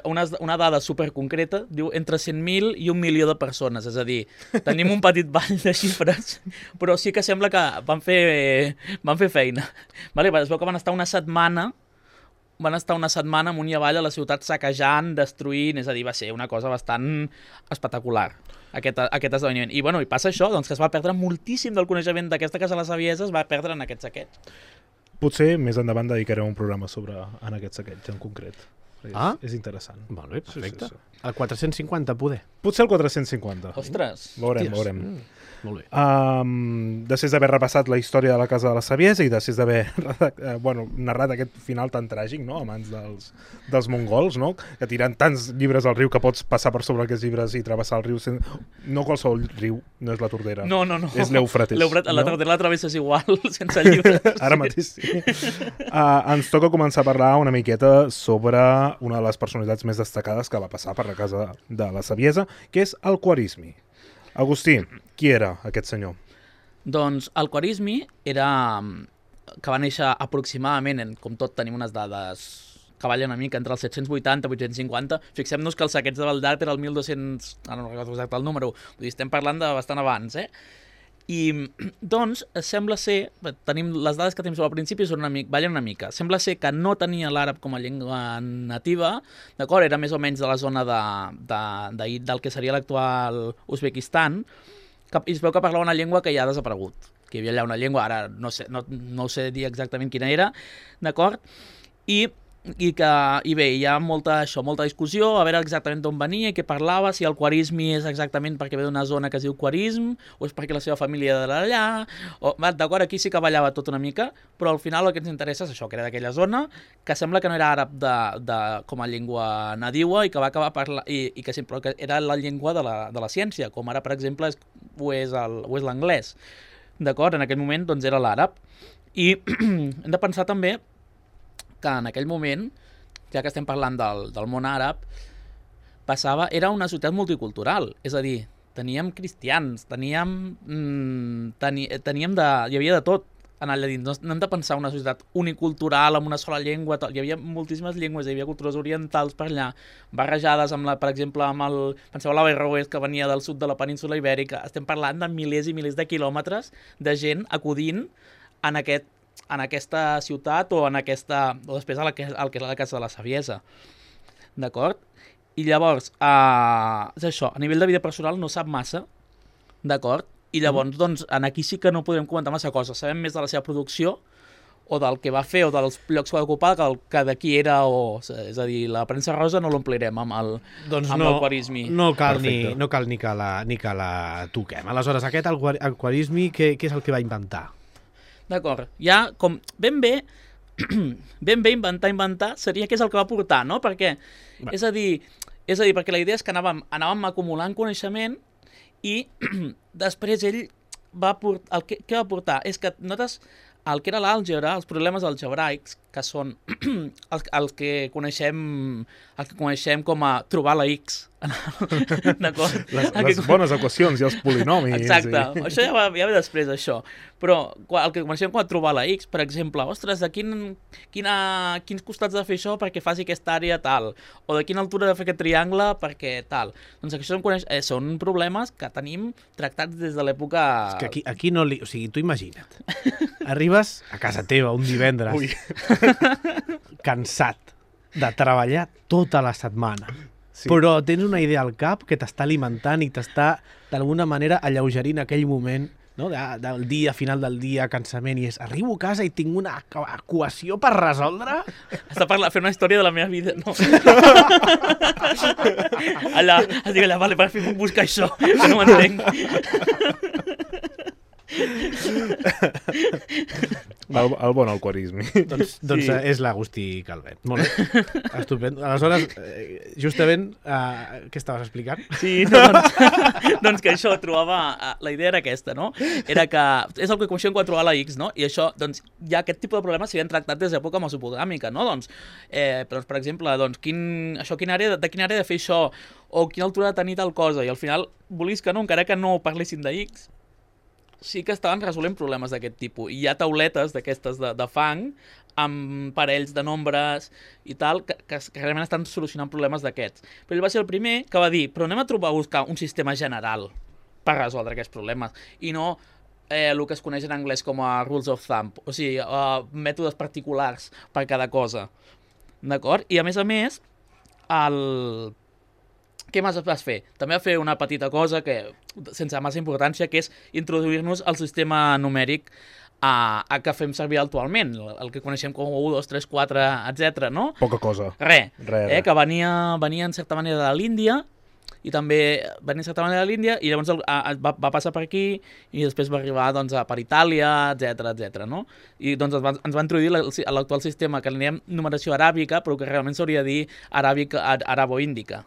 una dada superconcreta, diu entre 100.000 i 1 milió de persones, és a dir, tenim un petit ball de xifres, però sí que sembla que van fer feina. Vale, es veu que van estar una setmana amunt i avall a la ciutat saquejant, destruint, és a dir, va ser una cosa bastant espectacular, aquest esdeveniment. I passa això, doncs que es va perdre moltíssim del coneixement d'aquesta Casa de la Saviesa, es va perdre en aquest saqueig. Potser més endavant dedicarem un programa en aquest saqueig en concret. És interessant. Molt bé, perfecte. El 450, poder. Potser el 450. Ostres. Veurem. Molt bé. Després d'haver repassat la història de la Casa de la Saviesa i després d'haver narrat aquest final tan tràgic, no?, a mans dels mongols, no?, que tiren tants llibres al riu que pots passar per sobre aquests llibres i travessar el riu no qualsevol riu, no és la Tordera. No. És l'Eufrates. La Tordera la travesses igual, sense llibres. Ara mateix sí. Ens toca començar a parlar una miqueta sobre una de les personalitats més destacades que va passar per la Casa de la Saviesa, que és el Quarismi. Agustí, qui era aquest senyor? Doncs el Quarismi era que va néixer aproximadament, com tot tenim unes dades que ballen una mica, entre els 780 i 850. Fixem-nos que el saqueig de Baldat era el 1200, no recordo exacte el número, vull dir, estem parlant de bastant abans, I, doncs, sembla ser, tenim les dades que tenim sobre el principi ballen una mica. Sembla ser que no tenia l'àrab com a llengua nativa, d'acord? Era més o menys de la zona del que seria l'actual Uzbekistan, i es veu que parlava una llengua que ja ha desaparegut, que hi havia allà una llengua, ara no ho sé dir exactament quina era, d'acord? I bé, hi ha molta discussió a veure exactament d'on venia i què parlava, si el Quarismi és exactament perquè ve d'una zona que es diu Quarism o és perquè la seva família era d'allà, d'acord, aquí sí que ballava tot una mica, però al final el que ens interessa és això, que era d'aquella zona, que sembla que no era àrab com a llengua nadiua i que va acabar parlant, i que sempre era la llengua de la ciència, com ara, per exemple, o és l'anglès. D'acord? En aquell moment doncs, era l'àrab. I hem de pensar també que en aquell moment, ja que estem parlant del món àrab, era una societat multicultural, és a dir, teníem cristians, hi havia de tot en allà dins. No hem de pensar una societat unicultural amb una sola llengua, hi havia moltíssimes llengües, hi havia cultures orientals per allà, barrejades amb per exemple, penseu a l'Averroès que venia del sud de la península Ibèrica. Estem parlant de milers i milers de quilòmetres de gent acudint en aquesta ciutat o després al que és la Casa de la Saviesa. D'acord? I llavors, és això, a nivell de vida personal no sap massa, d'acord? I llavors, doncs, aquí sí que no podrem comentar massa coses. Sabem més de la seva producció, o del que va fer, o dels llocs que va ocupar, que de qui era, és a dir, la premsa rosa no l'omplirem amb l'aquarisme. No cal ni que la toquem. Aleshores, aquest aquarisme, què és el que va inventar? D'acord, ja com ben bé inventar seria què és el que va portar, no? Perquè, és a dir, perquè la idea és que anàvem acumulant coneixement i després ell què va portar? És que notes el que era l'àlgebra, els problemes algebraics, que són els que coneixem com a trobar la X. D'acord? Les bones equacions i els polinomis. Exacte, això ja ve després, això. Però el que coneixem com a trobar la X, per exemple, ostres, de quins costats de fer això perquè faci aquesta àrea tal, o de quina altura de fer aquest triangle perquè tal. Doncs això són problemes que tenim tractats des de l'època... És que aquí no li... O sigui, tu imagina't. Arribes a casa teva un divendres cansat de treballar tota la setmana. Sí. Però tens una idea al cap que t'està alimentant i t'està d'alguna manera alleugerint aquell moment, no? Del dia, final del dia, cansament, i arribo a casa i tinc una equació per resoldre? Està fent una història de la meva vida, no? Allà, vale, per fi puc buscar això, que no m'entenc. El bon aquarisme. Doncs sí. És l'Agustí Calvet. Molt bé. Estupendo. Aleshores, justament, què estaves explicant? Sí, doncs que això trobava... La idea era aquesta, no? Era que és el que coneixem quan trobar la X, no? I això, doncs, ja aquest tipus de problemes s'havien tractat des d'època mesopotàmica, no? Doncs, per exemple, doncs, de quina àrea de fer això, o quina altura de tenir tal cosa, i al final, volies que no, encara que no parlessin de X, sí que estaven resolent problemes d'aquest tipus. I hi ha tauletes d'aquestes de fang amb parells de nombres i tal, que realment estan solucionant problemes d'aquests. Però ell va ser el primer que va dir, però anem a buscar un sistema general per resoldre aquests problemes, i no el que es coneix en anglès com a rules of thumb, o sigui, mètodes particulars per cada cosa. D'acord? I a més, què més vas fer? També va fer una petita cosa que, sense massa importància, que és introduir-nos al sistema numèric que fem servir actualment, el que coneixem com 1, 2, 3, 4, etc. no? Poca cosa. Res. Que venia en certa manera de l'Índia, i també venia en certa manera de l'Índia, i llavors va passar per aquí, i després va arribar doncs, per Itàlia, etc. no? I doncs ens va introduir l'actual sistema, que l'anem numeració aràbica, però que realment s'hauria de dir arabo-índica,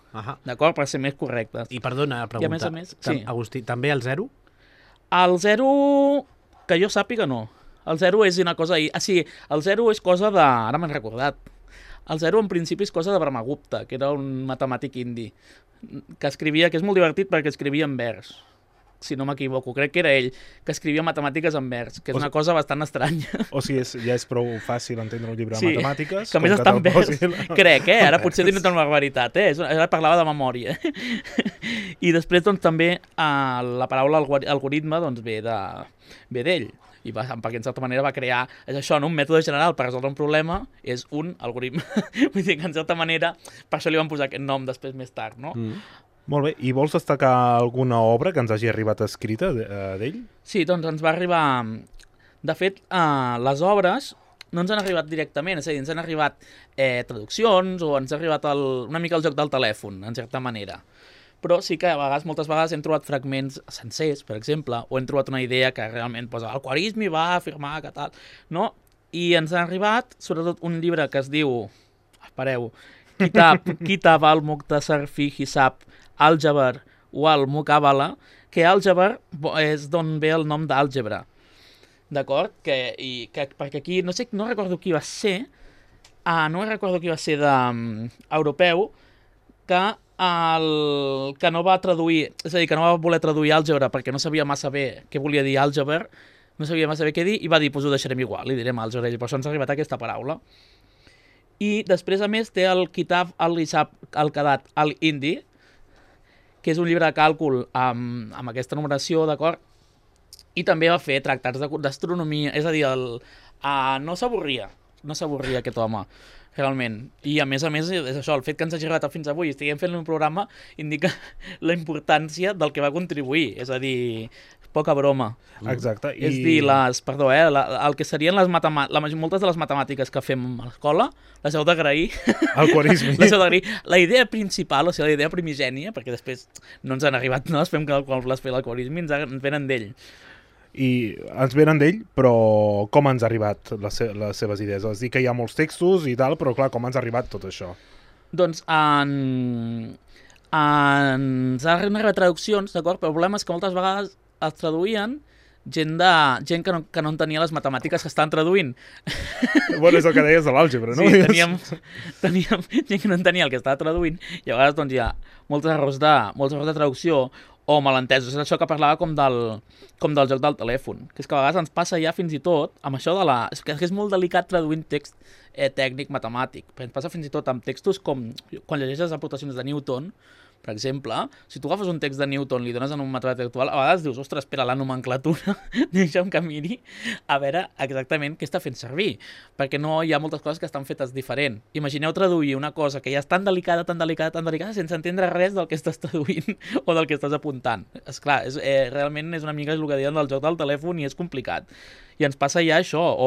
d'acord? Per ser més correctes. I perdona la pregunta, sí. Agustí, també el 0? El 0, que jo sàpiga, no. El 0 és una cosa... sí, el 0 és cosa de... Ara m'han recordat. El 0 en principi és cosa de Brahmagupta, que era un matemàtic indi, que escrivia, que és molt divertit perquè escrivia en vers, si no m'equivoco, crec que era ell, que escrivia matemàtiques en vers, que és una cosa bastant estranya. O sigui, ja és prou fàcil entendre un llibre de matemàtiques. Que a més està en vers, crec, ara potser tinc una barbaritat, ara parlava de memòria. I després doncs també la paraula algoritme doncs ve d'ell. Perquè en certa manera va crear, és això, no? Un mètode general per resoldre un problema és un algoritme. Vull dir que en certa manera, per això li van posar aquest nom després més tard, no? Molt bé, i vols destacar alguna obra que ens hagi arribat escrita d'ell? Sí, doncs ens va arribar... De fet, les obres no ens han arribat directament, és a dir, ens han arribat traduccions o ens ha arribat una mica el joc del telèfon, en certa manera. Però sí que moltes vegades hem trobat fragments sencers, per exemple, o hem trobat una idea que realment posa el Khwarizmi va afirmar que tal, no? I ens ha arribat, sobretot, un llibre que es diu, espereu, Kitab al-Muqtasar fi Hisab al-Jabar o el Mukabala, que àlgebra és d'on ve el nom d'àlgebra. D'acord? Perquè aquí, no recordo qui va ser, europeu, que no va traduir, és a dir, que no va voler traduir àlgebra perquè no sabia massa bé què volia dir àlgebra, no sabia massa bé què dir, i va dir, doncs ho deixarem igual, li direm àlgebra, i per això ens ha arribat aquesta paraula. I després, a més, té el Kitab al-Hisab al-Qadat al-Hindi, que és un llibre de càlcul amb aquesta numeració, d'acord? I també va fer tractats d'astronomia, és a dir, no s'avorria aquest home, realment. I a més, és això, el fet que ens hagi arribat fins avui i estiguem fent un programa indica la importància del que va contribuir, és a dir, poca broma. Exacte. És dir, el que serien moltes de les matemàtiques que fem a l'escola, les heu d'agrair. El quarisme. Les heu d'agrair. La idea principal, o sigui, la idea primigènia, perquè després no ens han arribat, no? Es fem càlculs per l'algoritme, ens venen d'ell. I ens venen d'ell, però com ens ha arribat les seves idees? És dir, que hi ha molts textos i tal, però clar, com ens ha arribat tot això? Doncs ens han arribat traduccions, d'acord? Però el problema és que moltes vegades els traduïen gent que no entenia les matemàtiques que estan traduint. Bueno, és el que deies de l'àlgebra, no? Sí, teníem gent que no entenia el que estava traduint i a vegades doncs, hi ha molts errors de traducció o malentesos. És això que parlava com del joc del telèfon, que és que a vegades ens passa ja fins i tot amb això és que és molt delicat traduint text tècnic matemàtic, perquè ens passa fins i tot amb textos com quan llegeixes aportacions de Newton, per exemple, si tu agafes un text de Newton, li dones en un matemàtic actual, a vegades dius, ostres, espera, la nomenclatura, deixa'm que miri a veure exactament què està fent servir, perquè no hi ha moltes coses que estan fetes diferent. Imagineu traduir una cosa que ja és tan delicada, sense entendre res del que estàs traduint o del que estàs apuntant. Esclar, realment és una mica el que diuen del joc del telèfon i és complicat. I ens passa ja això,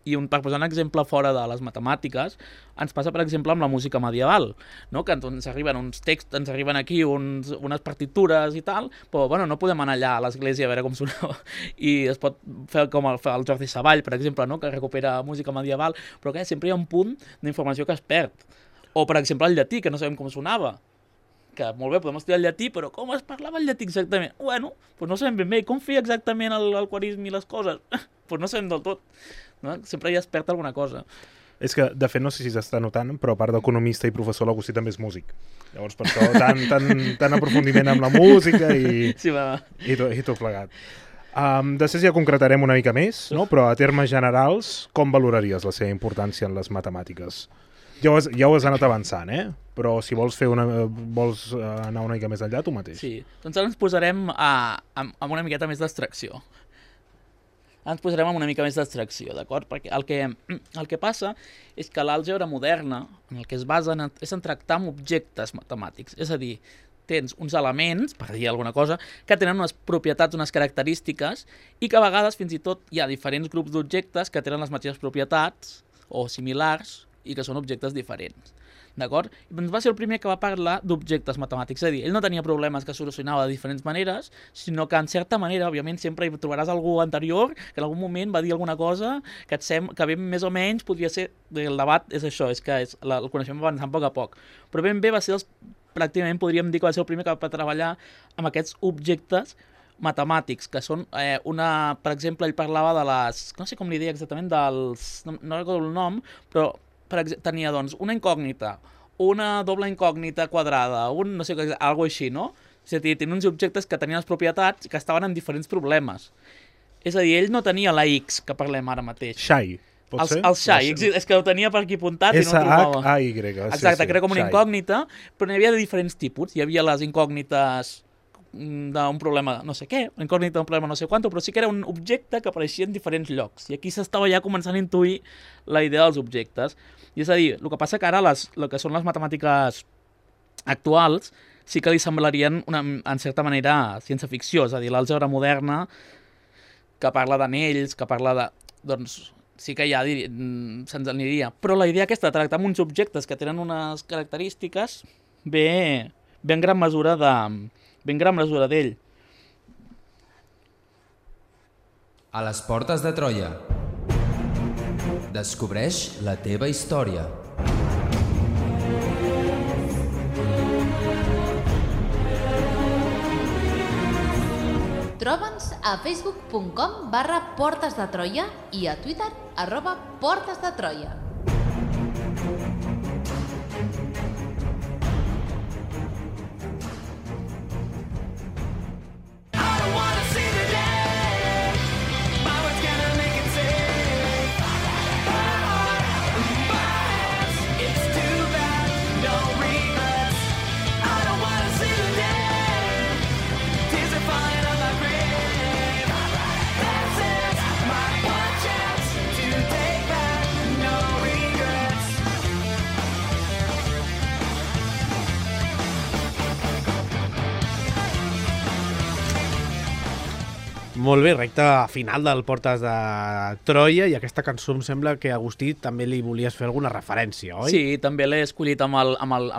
per posar un exemple fora de les matemàtiques, ens passa, per exemple, amb la música medieval, no? Que ens arriben uns texts, ens arriben aquí unes partitures i tal, però bueno, no podem anar allà a l'església a veure com sonava. I es pot fer com el Jordi Savall, per exemple, no? Que recupera música medieval, però que sempre hi ha un punt d'informació que es perd. O, per exemple, el llatí, que no sabem com sonava. Que molt bé, podem estudiar el llatí, però com es parlava el llatí exactament? Bueno, doncs no sabem ben bé. Com feia exactament el quarisme i les coses? Doncs no sabem del tot. No? Sempre hi es perd alguna cosa. És que, de fet, no sé si s'està notant, però a part d'economista i professor, l'Agustí també és músic. Llavors, per això, tant aprofundiment amb la música i tot plegat. Després ja concretarem una mica més, no? Però a termes generals, com valoraries la seva importància en les matemàtiques? Ja ho has anat avançant, però si vols anar una mica més enllà, tu mateix. Sí, doncs ara ens posarem amb una miqueta més d'abstracció. D'acord? Perquè el que passa és que l'àlgebra moderna, en el que es basa és en tractar amb objectes matemàtics. És a dir, tens uns elements, per dir alguna cosa, que tenen unes propietats, unes característiques, i que a vegades fins i tot hi ha diferents grups d'objectes que tenen les mateixes propietats o similars i que són objectes diferents. D'acord? Doncs va ser el primer que va parlar d'objectes matemàtics, és a dir, ell no tenia problemes que solucionava de diferents maneres, sinó que en certa manera, òbviament, sempre hi trobaràs algú anterior que en algun moment va dir alguna cosa que que ben més o menys podria ser, el debat és això, és que el coneixement va avançant a poc. Però ben bé va ser pràcticament podríem dir que va ser el primer que va treballar amb aquests objectes matemàtics, que són per exemple, ell parlava de les, no sé com li deia exactament, no recordo el nom, però tenia doncs una incògnita, una doble incògnita quadrada, no sé, alguna així, no? És a dir, tenia uns objectes que tenien les propietats que estaven en diferents problemes. És a dir, ell no tenia la X, que parlem ara mateix. Xai, pot ser? El xai, és que ho tenia per aquí apuntat i no ho trobava. S-H-A-Y. Exacte, que era com una incògnita, però n'hi havia de diferents tipus. Hi havia les incògnites d'un problema no sé què, una incògnita d'un problema no sé quant, però sí que era un objecte que apareixia en diferents llocs. I aquí s'estava ja començant a intuir la idea dels objectes. I és a dir, el que passa que ara el que són les matemàtiques actuals sí que li semblarien, en certa manera, ciència-ficció. És a dir, l'àlgebra moderna, que parla d'anells, que parla de... Doncs sí que ja se'ns aniria. Però la idea aquesta de tractar amb uns objectes que tenen unes característiques ve en gran mesura d'ell. A les portes de Troia. Descobreix la teva història. Troba'ns a facebook.com/Portes de Troia i a Twitter @Portes de Troia. Molt bé, recta final del Portes de Troia, i aquesta cançó em sembla que, Agustí, també li volies fer alguna referència, oi? Sí, també l'he escollit amb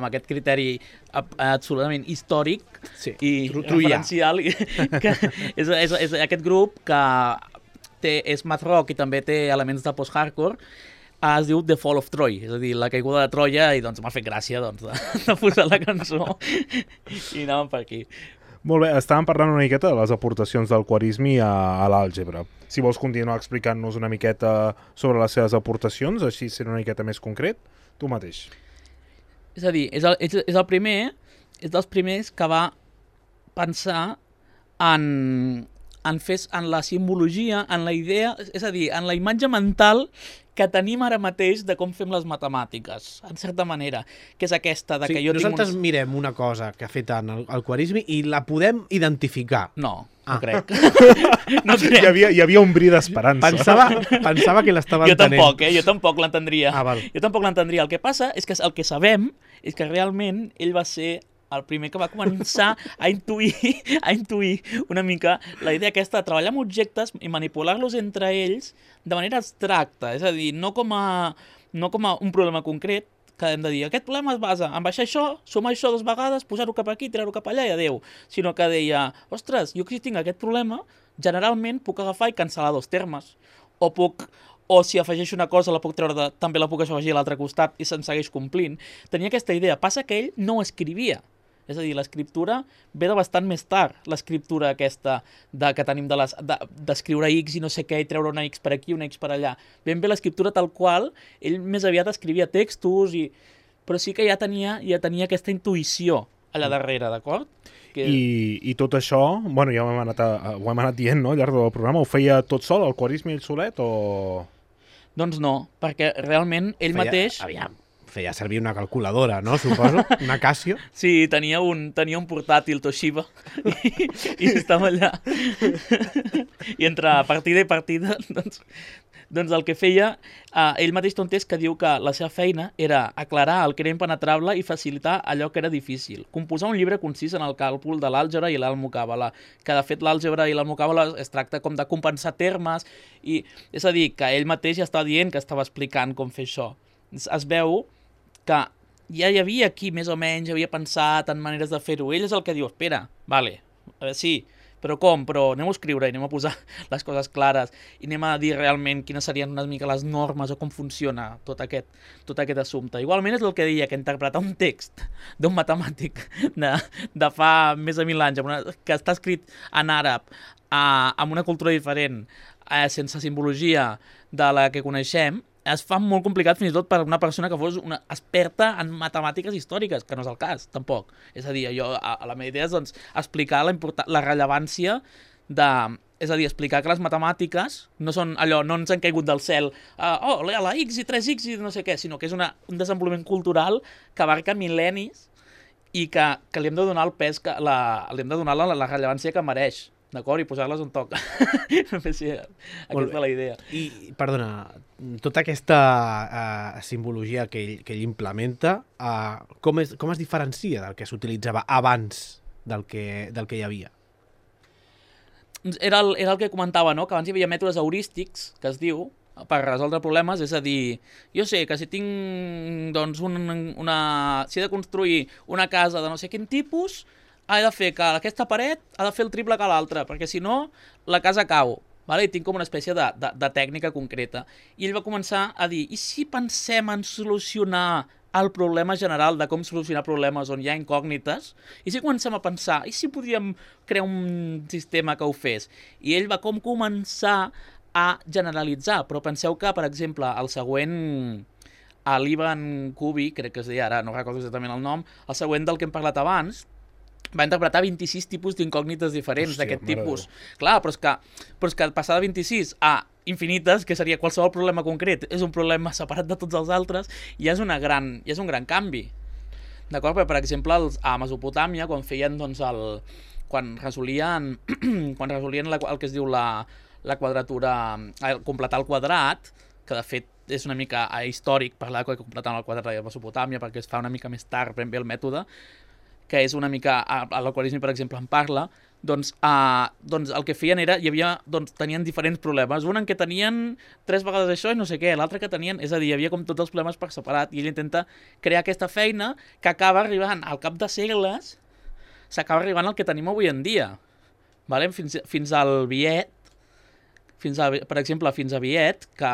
aquest criteri absolutament històric i referencial, que és aquest grup que és math rock i també té elements de post-hardcore. Es diu The Fall of Troy, és a dir, la caiguda de Troia, i doncs m'ha fet gràcia de posar la cançó i anàvem per aquí. Molt bé, estàvem parlant una miqueta de les aportacions del Khwarizmi a l'àlgebra. Si vols continuar explicant-nos una miqueta sobre les seves aportacions, així sent una miqueta més concret, tu mateix. És a dir, és el primer, és dels primers que va pensar en la simbologia, en la idea, és a dir, en la imatge mental que tenim ara mateix de com fem les matemàtiques, en certa manera, que és aquesta de que jo nosaltres mirem una cosa que ha fet el Khwarizmi i la podem identificar. No crec. No crec. Hi havia un bri d'esperança. Pensava que l'estava entenent. Jo tampoc l'entendria. Val. Jo tampoc l'entendria. El que passa és que el que sabem és que realment ell va ser el primer que va començar a intuir una mica la idea aquesta de treballar amb objectes i manipular-los entre ells de manera abstracta, és a dir, no com a un problema concret que hem de dir, aquest problema es basa en baixar això, sumar això 2 vegades, posar-ho cap aquí, tirar-ho cap allà i adeu, sinó que deia, ostres, jo que si tinc aquest problema, generalment puc agafar i cancel·lar 2 termes, o si afegeixo una cosa també la puc afegir a l'altre costat i se'n segueix complint. Tenia aquesta idea, passa que ell no escrivia. És a dir, l'escriptura ve de bastant més tard, l'escriptura aquesta que tenim d'escriure X i no sé què, i treure una X per aquí, una X per allà. Ben bé l'escriptura tal qual, ell més aviat escrivia textos, però sí que ja tenia aquesta intuïció allà darrere, d'acord? I tot això, bueno, ja ho hem anat dient, no?, al llarg del programa, ho feia tot sol, el Khwarizmi ell solet, o...? Doncs no, perquè realment ell mateix... Feia servir una calculadora, no? Suposo, una Casio. Sí, tenia un portàtil Toshiba i estava allà. I entre partida i partida, doncs el que feia, ell mateix té un test que diu que la seva feina era aclarar el que era impenetrable i facilitar allò que era difícil. Composar un llibre concís en el càlcul de l'àlgebra i l'almocàbala, que de fet l'àlgebra i l'almocàbala es tracta com de compensar termes, i és a dir, que ell mateix ja estava dient que estava explicant com fer això. Es veu que ja hi havia aquí, més o menys, havia pensat en maneres de fer-ho. Ell és el que diu, espera, vale, sí, però com? Però anem a escriure i anem a posar les coses clares i anem a dir realment quines serien una mica les normes o com funciona tot aquest assumpte. Igualment és el que deia, que interpretar un text d'un matemàtic de fa més de 1000 anys, que està escrit en àrab, amb una cultura diferent, sense simbologia de la que coneixem, es fa molt complicat fins i tot per una persona que fos una experta en matemàtiques històriques, que no és el cas, tampoc. És a dir, la meva idea és doncs, explicar la rellevància és a dir, explicar que les matemàtiques no són allò, no ens han caigut del cel, la X i 3X i no sé què, sinó que és un desenvolupament cultural que abarca mil·lennis i que li hem de donar el pes, li hem de donar la rellevància que mereix. D'acord? I posar-les on toca. Aquesta és la idea. I, perdona, tota aquesta simbologia que ell implementa, com es diferencia del que s'utilitzava abans del que hi havia? Era el que comentava, no? Que abans hi havia mètodes heurístics, que es diu, per resoldre problemes, és a dir, jo sé que si tinc, doncs, si he de construir una casa de no sé quin tipus, he de fer que aquesta paret ha de fer el triple que l'altra, perquè si no, la casa cau. Vale? I tinc com una espècie de tècnica concreta. I ell va començar a dir, i si pensem en solucionar el problema general de com solucionar problemes on hi ha incògnites, i si comencem a pensar, i si podríem crear un sistema que ho fes? I ell va com començar a generalitzar, però penseu que, per exemple, el següent, l'Ivan Kubi, crec que es deia ara, no recordo exactament el nom, el següent del que hem parlat abans, va interpretar 26 tipus d'incògnites diferents d'aquest tipus. Clar, però és que passar de 26 a infinites, que seria qualsevol problema concret, és un problema separat de tots els altres, i és un gran canvi. D'acord? Però, per exemple, a Mesopotàmia, quan feien, doncs, quan resolien el que es diu la quadratura, completar el quadrat, que de fet és una mica històric parlar de completar el quadrat de Mesopotàmia, perquè es fa una mica més tard, ben bé el mètode, que és una mica, l'aquarisme, per exemple, en parla, doncs el que feien era, tenien diferents problemes. Un en què tenien 3 vegades això i no sé què, l'altre que tenien, és a dir, hi havia com tots els problemes per separat, i ell intenta crear aquesta feina que acaba arribant, al cap de segles, s'acaba arribant al que tenim avui en dia. Vale? Fins al Viet, per exemple, fins a Viet, que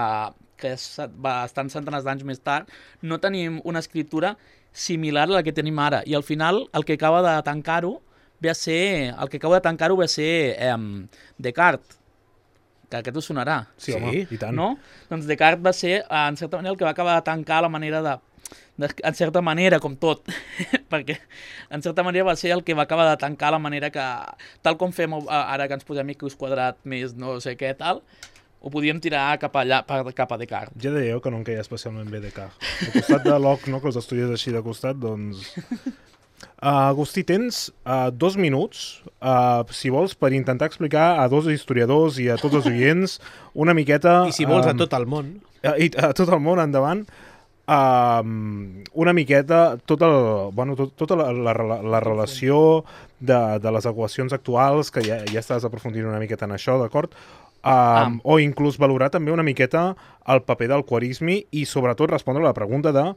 és bastant centenars d'anys més tard, no tenim una escriptura similar a la que tenim ara, i al final el que acaba de tancar-ho ve a ser Descartes, que aquest us sonarà. Sí, home, i tant. No? Doncs Descartes va ser, en certa manera, el que va acabar de tancar la manera en certa manera, com tot, perquè en certa manera va ser el que va acabar de tancar la manera que, tal com fem ara que ens posem X quadrat més no sé què tal, ho podíem tirar cap allà, cap a Descartes. Ja deia jo que no em queia especialment bé Descartes. Al costat de Locke, no, que els estudies així de costat, doncs... Agustí, tens 2 minuts, si vols, per intentar explicar a 2 historiadors i a tots els oients una miqueta... I si vols a tot el món. I a tot el món, endavant, una miqueta tota la relació de les equacions actuals, que ja estàs aprofundint una miqueta en això, d'acord? O inclús valorar també una miqueta el paper del quarisme i sobretot respondre a la pregunta de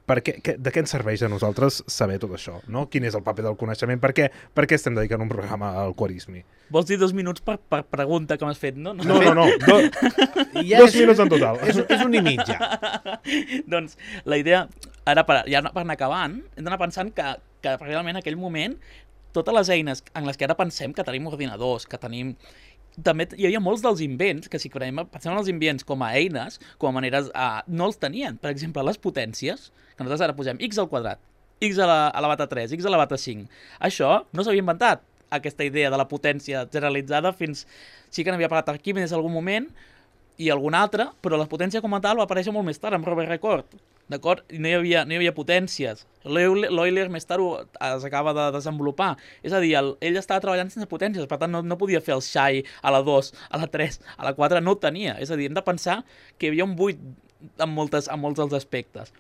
de què ens serveix a nosaltres saber tot això, no? Quin és el paper del coneixement? Per què estem dedicant un programa al quarisme? Vols dir 2 minuts per pregunta que m'has fet, no? No. 2 minuts en total. És un i mitja. Doncs la idea, ara per anar acabant, hem d'anar pensant que realment en aquell moment totes les eines en les que ara pensem que tenim ordinadors, que tenim... També hi havia molts dels invents que si pensem en els invents com a eines, com a maneres, no els tenien. Per exemple, les potències, que nosaltres ara posem x al quadrat, x elevat a 3, x elevat a 5. Això no s'havia inventat, aquesta idea de la potència generalitzada fins... Sí que n'havia parlat Arquímedes en algun moment i algun altre, però la potència com a tal va aparèixer molt més tard, amb Robert Record. D'acord? I no hi havia potències. L'Euler més tard s'acaba de desenvolupar. És a dir, ell estava treballant sense potències, per tant no podia fer el xai a la 2, a la 3, a la 4, no ho tenia. És a dir, hem de pensar que hi havia un buit en molts dels aspectes.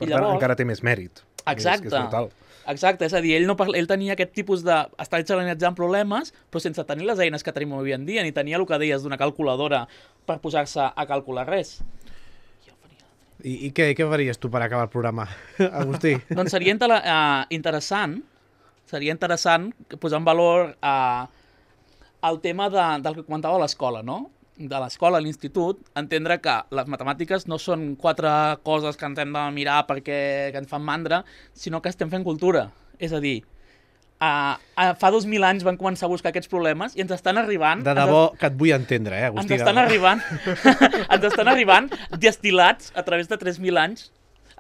Per tant, encara té més mèrit. Exacte. És brutal. Exacte, és a dir, ell tenia aquest tipus de... Estar generalitzant problemes, però sense tenir les eines que tenim avui en dia, ni tenia el que deies d'una calculadora per posar-se a calcular res. I què faries tu per acabar el programa, Agustí? Doncs seria interessant posar en valor el tema del que comentava a l'escola, no? De l'escola, a l'institut, entendre que les matemàtiques no són 4 coses que ens hem de mirar perquè ens fan mandra, sinó que estem fent cultura. És a dir, fa 2.000 anys van començar a buscar aquests problemes i ens estan arribant... De debò que et vull entendre, Agustí. Ens estan arribant destil·lats a través de 3.000 anys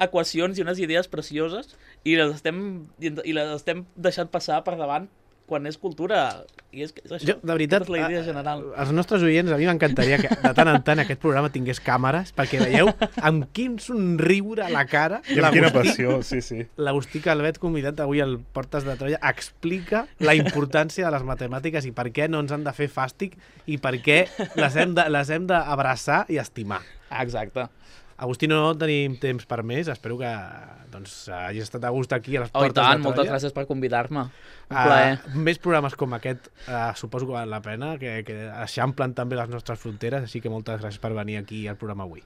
equacions i unes idees precioses i les estem deixant passar per davant quan és cultura. I és això, jo, de veritat, és la idea general. Els nostres oients, a mi m'encantaria que de tant en tant aquest programa tingués càmeres perquè veieu amb quin somriure a la cara i amb quina passió, sí. L'Agustí Calvet, convidat avui al Portes de Troia, explica la importància de les matemàtiques i per què no ens han de fer fàstic i per què les hem d'abraçar i estimar. Exacte. Agustí, no tenim temps per més. Espero que hagis estat a gust aquí a les Portes de Troia. Moltes gràcies per convidar-me. Un plaer. Més programes com aquest suposo que val la pena, que eixamplen també les nostres fronteres, així que moltes gràcies per venir aquí al programa avui.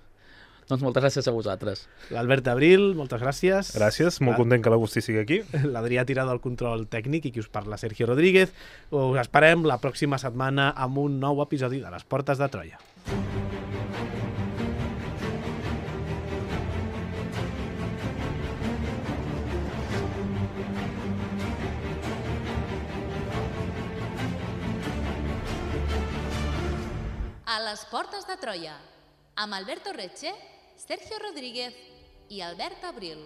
Doncs moltes gràcies a vosaltres. L'Albert Abril, moltes gràcies. Gràcies, molt content que l'Agustí sigui aquí. L'Adrià Tirado al control tècnic i qui us parla, Sergio Rodríguez. Us esperem la pròxima setmana amb un nou episodi de les Portes de Troia. A les portes de Troia, amb Alberto Retxe, Sergio Rodríguez i Albert Abril.